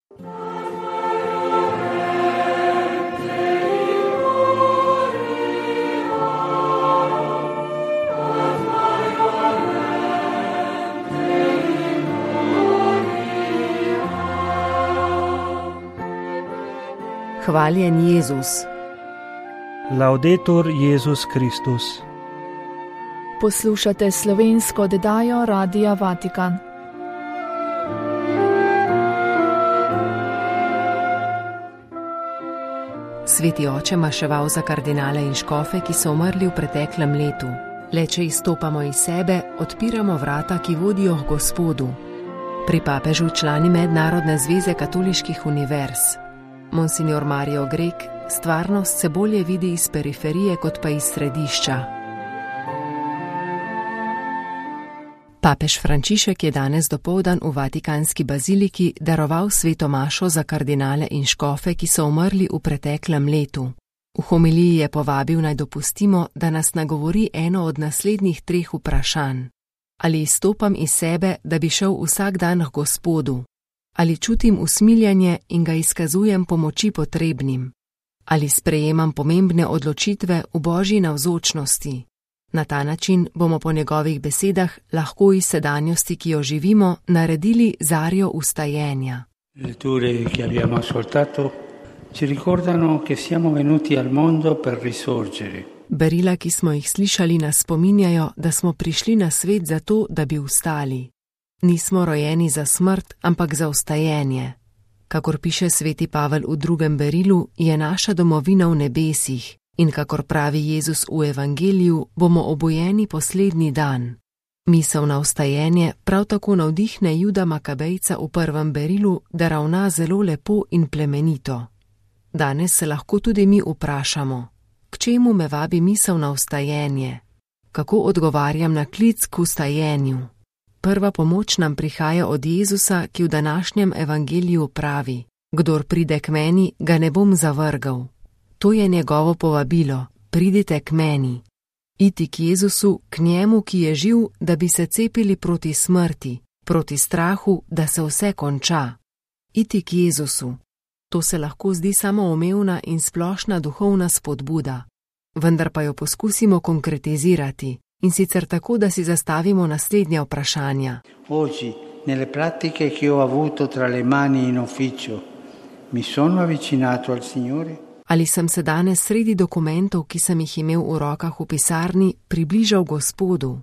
Hvaljen Jezus. Laudetur Jezus Kristus. Poslušate slovensko oddajo Radia Vatikan. Sveti oče maševal za kardinale in škofe, ki so umrli v preteklem letu. Le če izstopamo iz sebe, odpiramo vrata, ki vodijo k Gospodu. Pri papežu člani Mednarodne zveze katoliških univerz. Monsignor Mario Grek stvarnost se bolje vidi iz periferije kot pa iz središča. Papež Frančišek je danes dopoldan v Vatikanski baziliki daroval sveto mašo za kardinale in škofe, ki so umrli v preteklem letu. V homiliji je povabil, naj dopustimo, da nas nagovori eno od naslednjih 3 vprašanj. Ali izstopam iz sebe, da bi šel vsak dan k Gospodu? Ali čutim usmiljanje in ga izkazujem pomoči potrebnim? Ali sprejemam pomembne odločitve v Božji navzočnosti? Na ta način bomo po njegovih besedah lahko iz sedanjosti, ki jo živimo, naredili zarjo vstajenja. Letture che abbiamo ascoltato ci ricordano che siamo venuti al mondo per risorgere. Berila, ki smo jih slišali, nas spominjajo, da smo prišli na svet zato, da bi vstali. Nismo rojeni za smrt, ampak za vstajenje. Kakor piše sveti Pavel v 2. berilu, je naša domovina v nebesih in kakor pravi Jezus v Evangeliju, bomo obojeni poslednji dan. Misel na vstajenje prav tako navdihne Juda Makabejca v 1. berilu, da ravna zelo lepo in plemenito. Danes se lahko tudi mi vprašamo, k čemu me vabi misel na vstajenje? Kako odgovarjam na klic k vstajenju? Prva pomoč nam prihaja od Jezusa, ki v današnjem evangeliju pravi: Kdor pride k meni, ga ne bom zavrgal. To je njegovo povabilo: pridite k meni. Iti k Jezusu, k njemu, ki je živ, da bi se cepili proti smrti, proti strahu, da se vse konča. Iti k Jezusu. To se lahko zdi samoumevna in splošna duhovna spodbuda, vendar pa jo poskusimo konkretizirati. In sicer tako, da si zastavimo naslednja vprašanja. Oggi, nelle pratiche che ho avuto tra le mani in ufficio, mi sono avvicinato al Signore? Ali sem se danes sredi dokumentov, ki sem jih imel v rokah v pisarni, približal Gospodu?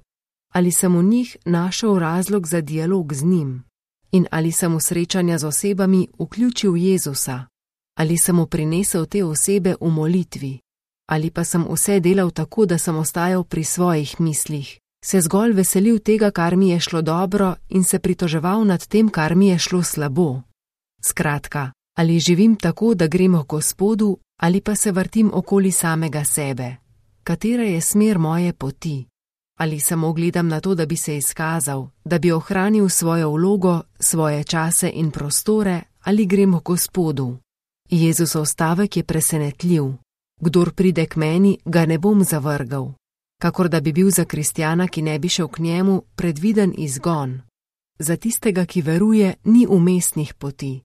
Ali sem v njih našel razlog za dialog z njim? In ali sem v srečanja z osebami vključil Jezusa? Ali sem mu prinesel te osebe v molitvi? Ali pa sem vse delal tako, da sem ostajal pri svojih mislih, se zgolj veselil tega, kar mi je šlo dobro, in se pritoževal nad tem, kar mi je šlo slabo? Skratka, ali živim tako, da grem k Gospodu, ali pa se vrtim okoli samega sebe? Katera je smer moje poti? Ali samo gledam na to, da bi se izkazal, da bi ohranil svojo vlogo, svoje čase in prostore, ali grem k Gospodu? Jezusov stavek je presenetljiv. Kdor pride k meni, ga ne bom zavrgal. Kakor da bi bil za kristjana, ki ne bi šel k njemu, predviden izgon. Za tistega, ki veruje, ni umestnih poti.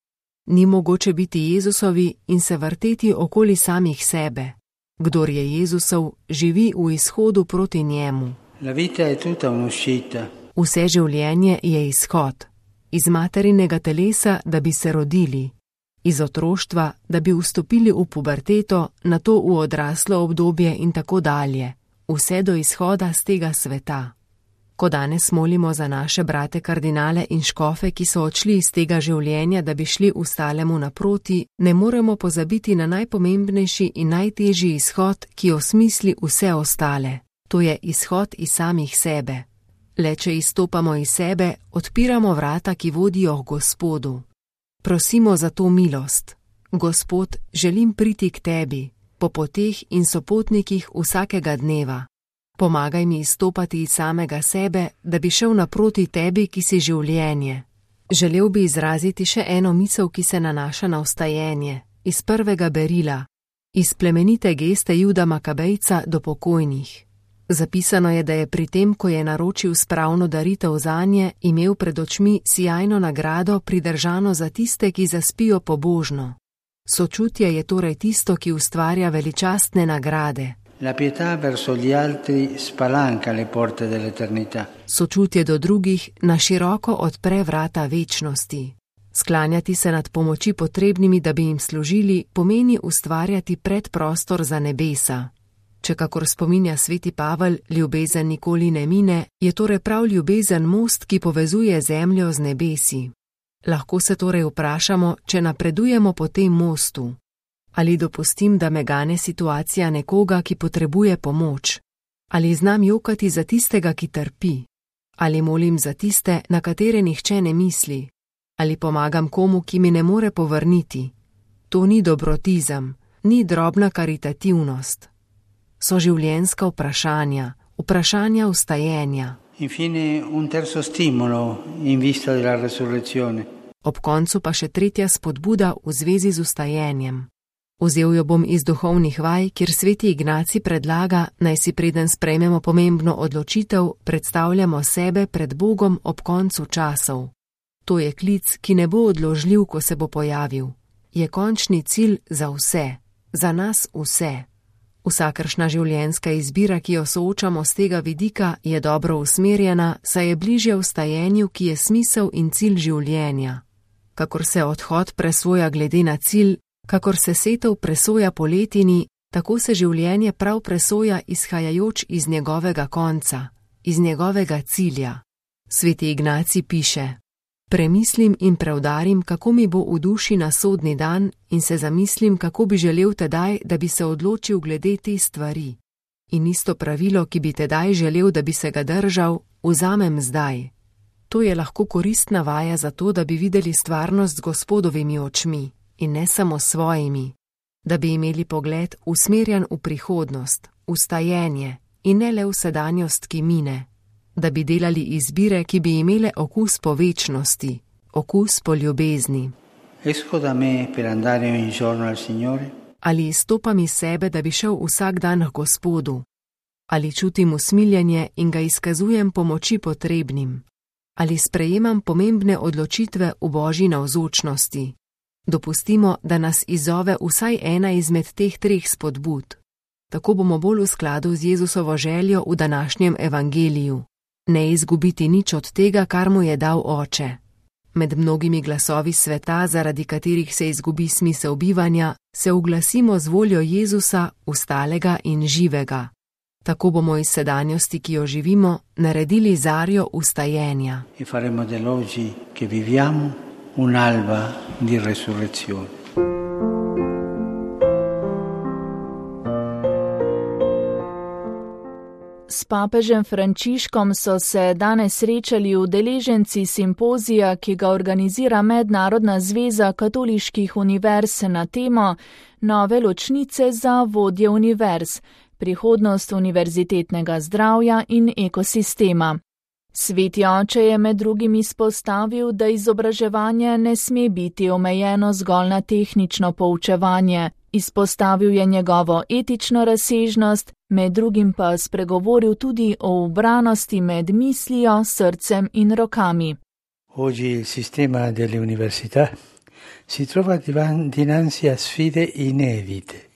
Ni mogoče biti Jezusovi in se vrteti okoli samih sebe. Kdor je Jezusov, živi v izhodu proti njemu. La vita è tutta un'uscita. Vse življenje je izhod. Iz materinega telesa, da bi se rodili. Iz otroštva, da bi vstopili v puberteto, nato v odraslo obdobje in tako dalje, vse do izhoda z tega sveta. Ko danes molimo za naše brate kardinale in škofe, ki so odšli iz tega življenja, da bi šli ostalemu naproti, ne moremo pozabiti na najpomembnejši in najtežji izhod, ki osmisli vse ostale. To je izhod iz samih sebe. Le če izstopamo iz sebe, odpiramo vrata, ki vodijo k Gospodu. Prosimo za to milost. Gospod, želim priti k tebi, po poteh in sopotnikih vsakega dneva. Pomagaj mi izstopati iz samega sebe, da bi šel naproti tebi, ki si življenje. Želel bi izraziti še eno misel, ki se nanaša na vstajenje, iz 1. berila, iz plemenite geste Juda Makabejca do pokojnih. Zapisano je, da je pri tem, ko je naročil spravno daritev zanje, imel pred očmi sijajno nagrado pridržano za tiste, ki zaspijo pobožno. Sočutje je torej tisto, ki ustvarja veličastne nagrade. La pietà verso gli altri spalanca le porte dell'eternità. Sočutje do drugih na široko odpre vrata večnosti. Sklanjati se nad pomoči potrebnimi, da bi jim služili, pomeni ustvarjati predprostor za nebesa. Če, kakor spominja sveti Pavel, ljubezen nikoli ne mine, je torej prav ljubezen most, ki povezuje zemljo z nebesi. Lahko se torej vprašamo, če napredujemo po tem mostu. Ali dopustim, da me gane situacija nekoga, ki potrebuje pomoč? Ali znam jokati za tistega, ki trpi? Ali molim za tiste, na katere nihče ne misli? Ali pomagam komu, ki mi ne more povrniti? To ni dobrotizem, ni drobna karitativnost. So življenjska vprašanja, vprašanja vstajenja. Infine un terzo stimolo in vista della resurrezione. Ob koncu pa še tretja spodbuda v zvezi z vstajenjem. Vzel jo bom iz duhovnih vaj, kjer sveti Ignacij predlaga, naj si preden sprejmemo pomembno odločitev, predstavljamo sebe pred Bogom ob koncu časov. To je klic, ki ne bo odložljiv, ko se bo pojavil. Je končni cilj za vse, za nas vse. Vsakršna življenjska izbira, ki jo soočamo z tega vidika, je dobro usmerjena, saj je bližje vstajenju, ki je smisel in cilj življenja. Kakor se odhod presoja glede na cilj, kakor se setev presoja po letini, tako se življenje prav presoja izhajajoč iz njegovega konca, iz njegovega cilja. Sveti Ignacij piše: Premislim in preudarim, kako mi bo v duši na sodni dan, in se zamislim, kako bi želel tedaj, da bi se odločil glede te stvari. In isto pravilo, ki bi tedaj želel, da bi se ga držal, vzamem zdaj. To je lahko koristna vaja za to, da bi videli stvarnost z Gospodovimi očmi in ne samo svojimi, da bi imeli pogled usmerjen v prihodnost, v stajenje in ne le v sedanjost, ki mine. Da bi delali izbire, ki bi imele okus po večnosti, okus po ljubezni. Esco da me per andare ogni giorno al Signore? Ali izstopam iz sebe, da bi šel vsak dan k Gospodu? Ali čutim usmiljenje in ga izkazujem pomoči potrebnim? Ali sprejemam pomembne odločitve v Božji navzočnosti? Dopustimo, da nas izzove vsaj ena izmed teh treh spodbud. Tako bomo bolj v skladu z Jezusovo željo v današnjem evangeliju. Ne izgubiti nič od tega, kar mu je dal Oče. Med mnogimi glasovi sveta, zaradi katerih se izgubi smisel bivanja, se uglasimo z voljo Jezusa, ustalega in živega. Tako bomo iz sedanjosti, ki jo živimo, naredili zarjo vstajenja. E faremo dell'oggi che viviamo un'alba di resurrezione. S papežem Frančiškom so se danes srečali udeleženci simpozija, ki ga organizira Mednarodna zveza katoliških univerz na temo Nove ločnice za vodje univerz, prihodnost univerzitetnega zdravja in ekosistema. Sveti oče je med drugim izpostavil, da izobraževanje ne sme biti omejeno zgolj na tehnično poučevanje. Izpostavil je njegovo etično razsežnost, med drugim pa spregovoril tudi o ubranosti med mislijo, srcem in rokami. Oggi il sistema delle università si trova dinanzi a sfide inedite,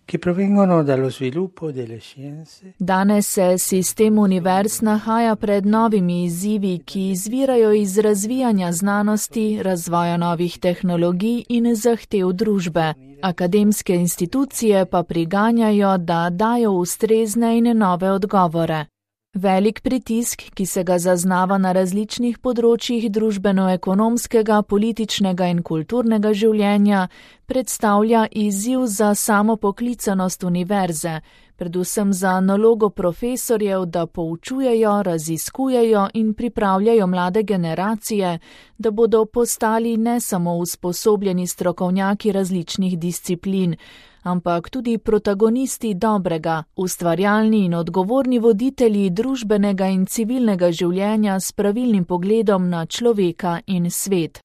che provengono dallo sviluppo delle scienze. Danes se sistem univerz nahaja pred novimi izzivi, ki izvirajo iz razvijanja znanosti, razvoja novih tehnologij in zahtev družbe. Akademske institucije pa priganjajo, da dajo ustrezne in nove odgovore. Velik pritisk, ki se ga zaznava na različnih področjih družbeno-ekonomskega, političnega in kulturnega življenja, predstavlja izziv za samopoklicanost univerze, predvsem za nalogo profesorjev, da poučujejo, raziskujejo in pripravljajo mlade generacije, da bodo postali ne samo usposobljeni strokovnjaki različnih disciplin, ampak tudi protagonisti dobrega, ustvarjalni in odgovorni voditelji družbenega in civilnega življenja s pravilnim pogledom na človeka in svet.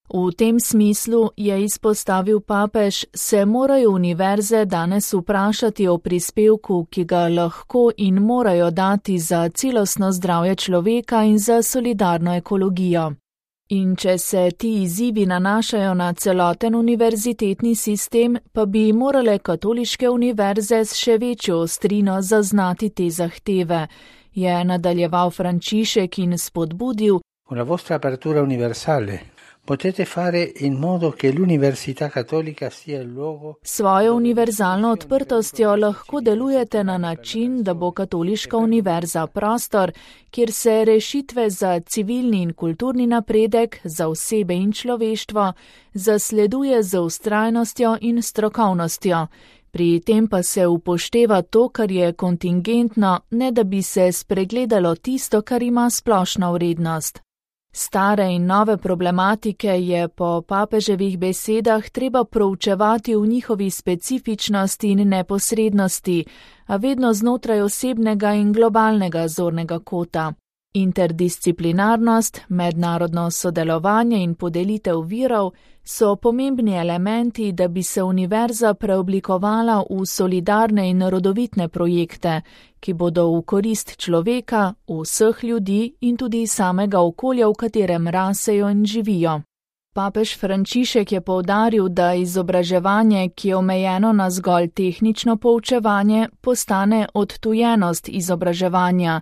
V tem smislu, je izpostavil papež, se morajo univerze danes vprašati o prispevku, ki ga lahko in morajo dati za celostno zdravje človeka in za solidarno ekologijo. In če se ti izzivi nanašajo na celoten univerzitetni sistem, pa bi morale katoliške univerze s še večjo ostrino zaznati te zahteve, je nadaljeval Frančišek in spodbudil: Con la vostra apertura universale potete fare in modo che l'università cattolica sia il luogo. Svojo univerzalno odprtostjo lahko delujete na način, da bo katoliška univerza prostor, kjer se rešitve za civilni in kulturni napredek, za osebe in človeštvo, zasleduje z vztrajnostjo in strokovnostjo. Pri tem pa se upošteva to, kar je kontingentno, ne da bi se spregledalo tisto, kar ima splošno vrednost. Stare in nove problematike je po papeževih besedah treba proučevati v njihovi specifičnosti in neposrednosti, a vedno znotraj osebnega in globalnega zornega kota. Interdisciplinarnost, mednarodno sodelovanje in podelitev virov so pomembni elementi, da bi se univerza preoblikovala v solidarne in rodovitne projekte, ki bodo v korist človeka, vseh ljudi in tudi samega okolja, v katerem rasejo in živijo. Papež Frančišek je poudaril, da izobraževanje, ki je omejeno na zgolj tehnično poučevanje, postane odtujenost izobraževanja.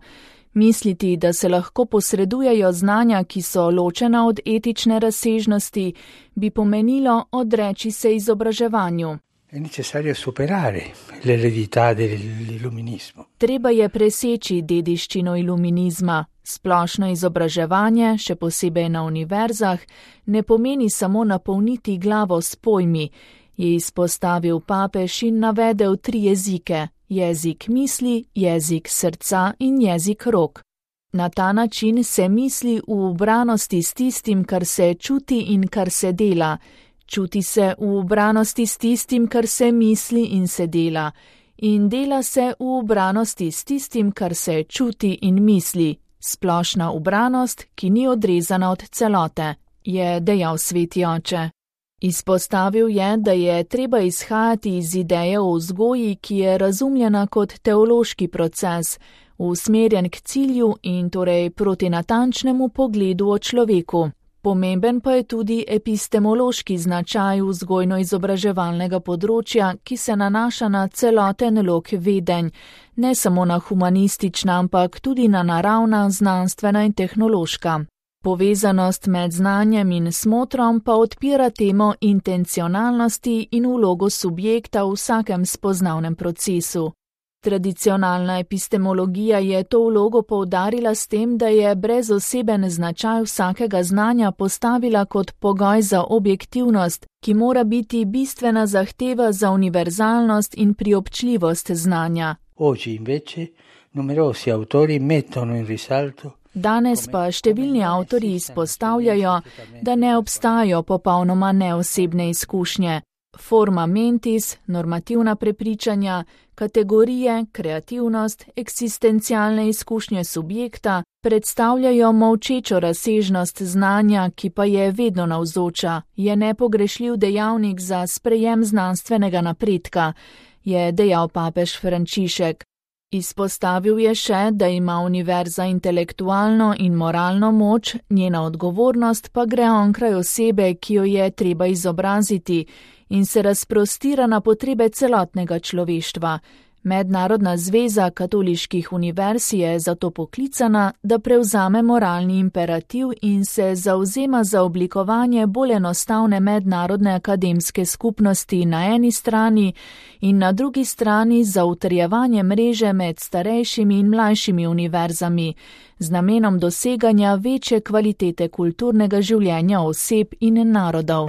Misliti, da se lahko posredujejo znanja, ki so ločena od etične razsežnosti, bi pomenilo odreči se izobraževanju. È necessario superare l'eredità dell'illuminismo. Treba je preseči dediščino iluminizma. Splošno izobraževanje, še posebej na univerzah, ne pomeni samo napolniti glavo s pojmi, je izpostavil papež in navedel 3 jezike: jezik misli, jezik srca in jezik rok. Na ta način se misli v ubranosti s tistim, kar se čuti in kar se dela. Čuti se v ubranosti s tistim, kar se misli in se dela. In dela se v ubranosti s tistim, kar se čuti in misli. Splošna ubranost, ki ni odrezana od celote, je dejal sveti oče. Izpostavil je, da je treba izhajati iz ideje o vzgoji, ki je razumljena kot teološki proces, usmerjen k cilju in torej proti natančnemu pogledu o človeku. Pomemben pa je tudi epistemološki značaj vzgojno-izobraževalnega področja, ki se nanaša na celoten lok vedenj, ne samo na humanistična, ampak tudi na naravna, znanstvena in tehnološka. Povezanost med znanjem in smotrom pa odpira temo intencionalnosti in vlogo subjekta v vsakem spoznavnem procesu. Tradicionalna epistemologija je to vlogo poudarila s tem, da je brezoseben značaj vsakega znanja postavila kot pogoj za objektivnost, ki mora biti bistvena zahteva za univerzalnost in priobčljivost znanja. Oggi invece numerosi autori mettono in risalto. Danes pa številni avtorji izpostavljajo, da ne obstajajo popolnoma neosebne izkušnje. Forma mentis, normativna prepričanja, kategorije, kreativnost, eksistencialne izkušnje subjekta predstavljajo molčečo razsežnost znanja, ki pa je vedno navzoča, je nepogrešljiv dejavnik za sprejem znanstvenega napredka, je dejal papež Frančišek. Izpostavil je še, da ima univerza intelektualno in moralno moč, njena odgovornost pa gre onkraj osebe, ki jo je treba izobraziti in se razprostira na potrebe celotnega človeštva. Mednarodna zveza katoliških univerz je zato poklicana, da prevzame moralni imperativ in se zavzema za oblikovanje bolj enostavne mednarodne akademske skupnosti na eni strani in na drugi strani za utrjevanje mreže med starejšimi in mlajšimi univerzami, z namenom doseganja večje kvalitete kulturnega življenja oseb in narodov.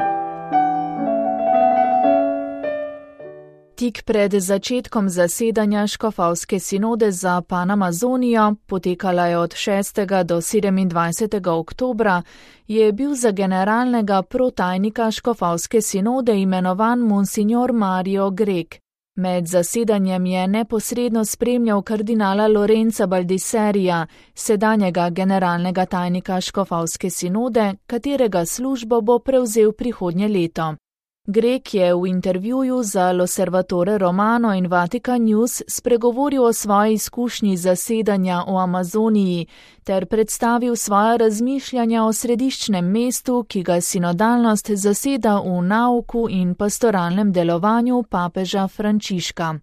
Tik pred začetkom zasedanja škofovske sinode za Panamazonijo, potekala je od 6. do 27. oktobra, je bil za generalnega protajnika škofovske sinode imenovan monsignor Mario Grek. Med zasedanjem je neposredno spremljal kardinala Lorenza Baldiserija, sedanjega generalnega tajnika škofovske sinode, katerega službo bo prevzel prihodnje leto. Grek je v intervjuju za L'Osservatore Romano in Vatican News spregovoril o svoji izkušnji zasedanja v Amazoniji ter predstavil svoja razmišljanja o središčnem mestu, ki ga sinodalnost zaseda v nauku in pastoralnem delovanju papeža Frančiška.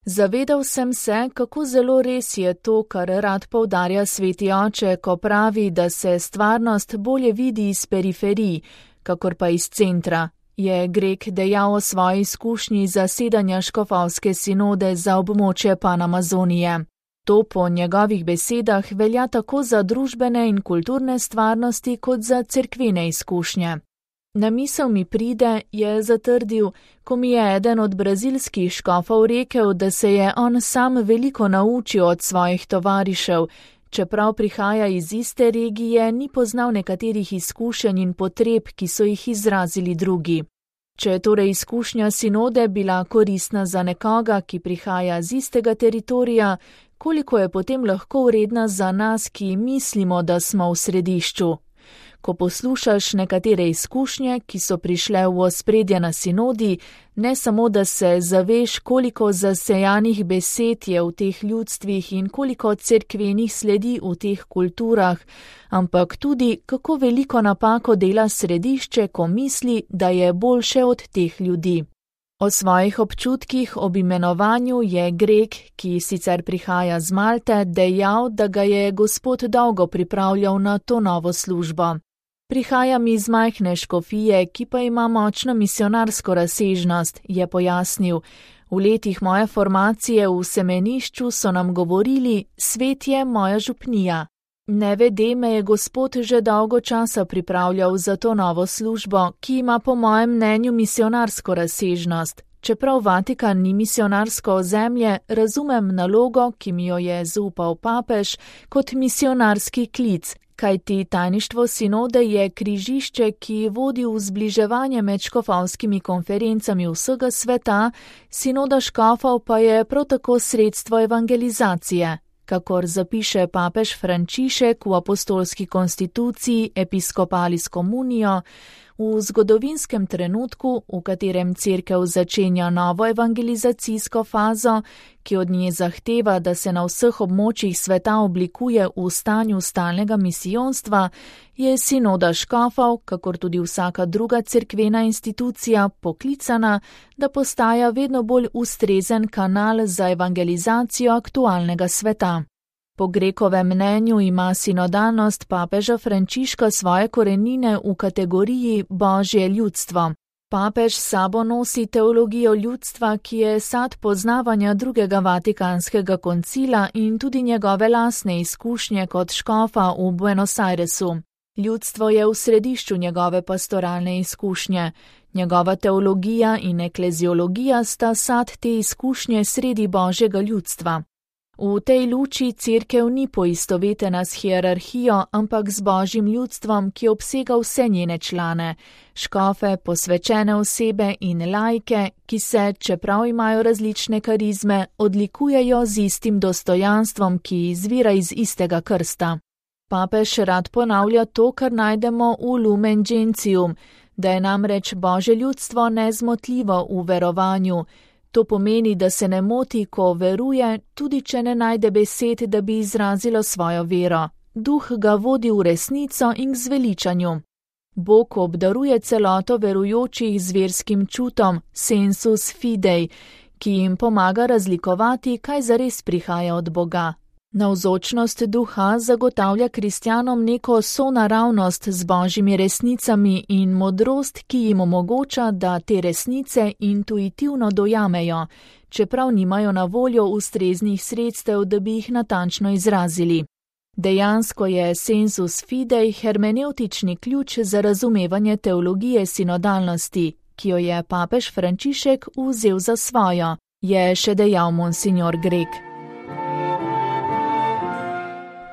Zavedal sem se, kako zelo res je to, kar rad poudarja sveti oče, ko pravi, da se stvarnost bolje vidi iz periferij, kakor pa iz centra, je Grek dejal o svoji izkušnji zasedanja škofovske sinode za območje Panamazonije. To po njegovih besedah velja tako za družbene in kulturne stvarnosti kot za cerkvene izkušnje. Na misel mi pride, je zatrdil, ko mi je eden od brazilskih škofov rekel, da se je on sam veliko naučil od svojih tovarišev, čeprav prihaja iz iste regije, ni poznal nekaterih izkušenj in potreb, ki so jih izrazili drugi. Če je torej izkušnja sinode bila koristna za nekoga, ki prihaja z istega teritorija, koliko je potem lahko vredna za nas, ki mislimo, da smo v središču? Ko poslušaš nekatere izkušnje, ki so prišle v ospredje na sinodi, ne samo, da se zaveš, koliko zasejanih besed je v teh ljudstvih in koliko cerkvenih sledi v teh kulturah, ampak tudi, kako veliko napako dela središče, ko misli, da je boljše od teh ljudi. O svojih občutkih ob imenovanju je Grek, ki sicer prihaja z Malte, dejal, da ga je Gospod dolgo pripravljal na to novo službo. Prihajam iz majhne škofije, ki pa ima močno misionarsko razsežnost, je pojasnil. V letih moje formacije v semenišču so nam govorili, svet je moja župnija. Nevede me je Gospod že dolgo časa pripravljal za to novo službo, ki ima po mojem mnenju misionarsko razsežnost. Čeprav Vatikan ni misionarsko ozemlje, razumem nalogo, ki mi jo je zaupal papež, kot misionarski klic, kajti tajništvo sinode je križišče, ki vodi v zbliževanje med škofovskimi konferencami vsega sveta, sinoda škofov pa je prav tako sredstvo evangelizacije. Kakor zapiše papež Frančišek v apostolski konstituciji Episcopalis Communio, v zgodovinskem trenutku, v katerem cerkev začenja novo evangelizacijsko fazo, ki od nje zahteva, da se na vseh območjih sveta oblikuje v stanju stalnega misijonstva, je sinoda škofov, kakor tudi vsaka druga cerkvena institucija, poklicana, da postaja vedno bolj ustrezen kanal za evangelizacijo aktualnega sveta. Po Grekovem mnenju ima sinodalnost papeža Frančiška svoje korenine v kategoriji Božje ljudstvo. Papež s sabo nosi teologijo ljudstva, ki je sad poznavanja drugega vatikanskega koncila in tudi njegove lastne izkušnje kot škofa v Buenos Airesu. Ljudstvo je v središču njegove pastoralne izkušnje. Njegova teologija in ekleziologija sta sad te izkušnje sredi Božjega ljudstva. V tej luči cerkev ni poistovetena s hierarhijo, ampak z Božjim ljudstvom, ki obsega vse njene člane, škofe, posvečene osebe in laike, ki se, čeprav imajo različne karizme, odlikujejo z istim dostojanstvom, ki izvira iz istega krsta. Papež rad ponavlja to, kar najdemo v Lumen Gentium, da je namreč Božje ljudstvo nezmotljivo v verovanju. To pomeni, da se ne moti, ko veruje, tudi če ne najde besed, da bi izrazilo svojo vero. Duh ga vodi v resnico in k zveličanju. Bog obdaruje celoto verujočih z verskim čutom, sensus fidei, ki jim pomaga razlikovati, kaj zares prihaja od Boga. Navzočnost duha zagotavlja kristjanom neko sonaravnost z božjimi resnicami in modrost, ki jim omogoča, da te resnice intuitivno dojamejo, čeprav nimajo na voljo ustreznih sredstev, da bi jih natančno izrazili. Dejansko je sensus fidei hermenevtični ključ za razumevanje teologije sinodalnosti, ki jo je papež Frančišek vzel za svojo, je še dejal monsignor Grek.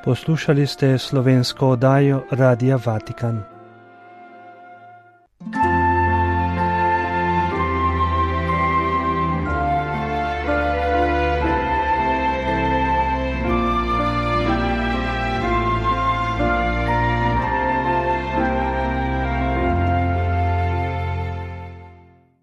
Poslušali ste slovensko oddajo Radia Vatikan.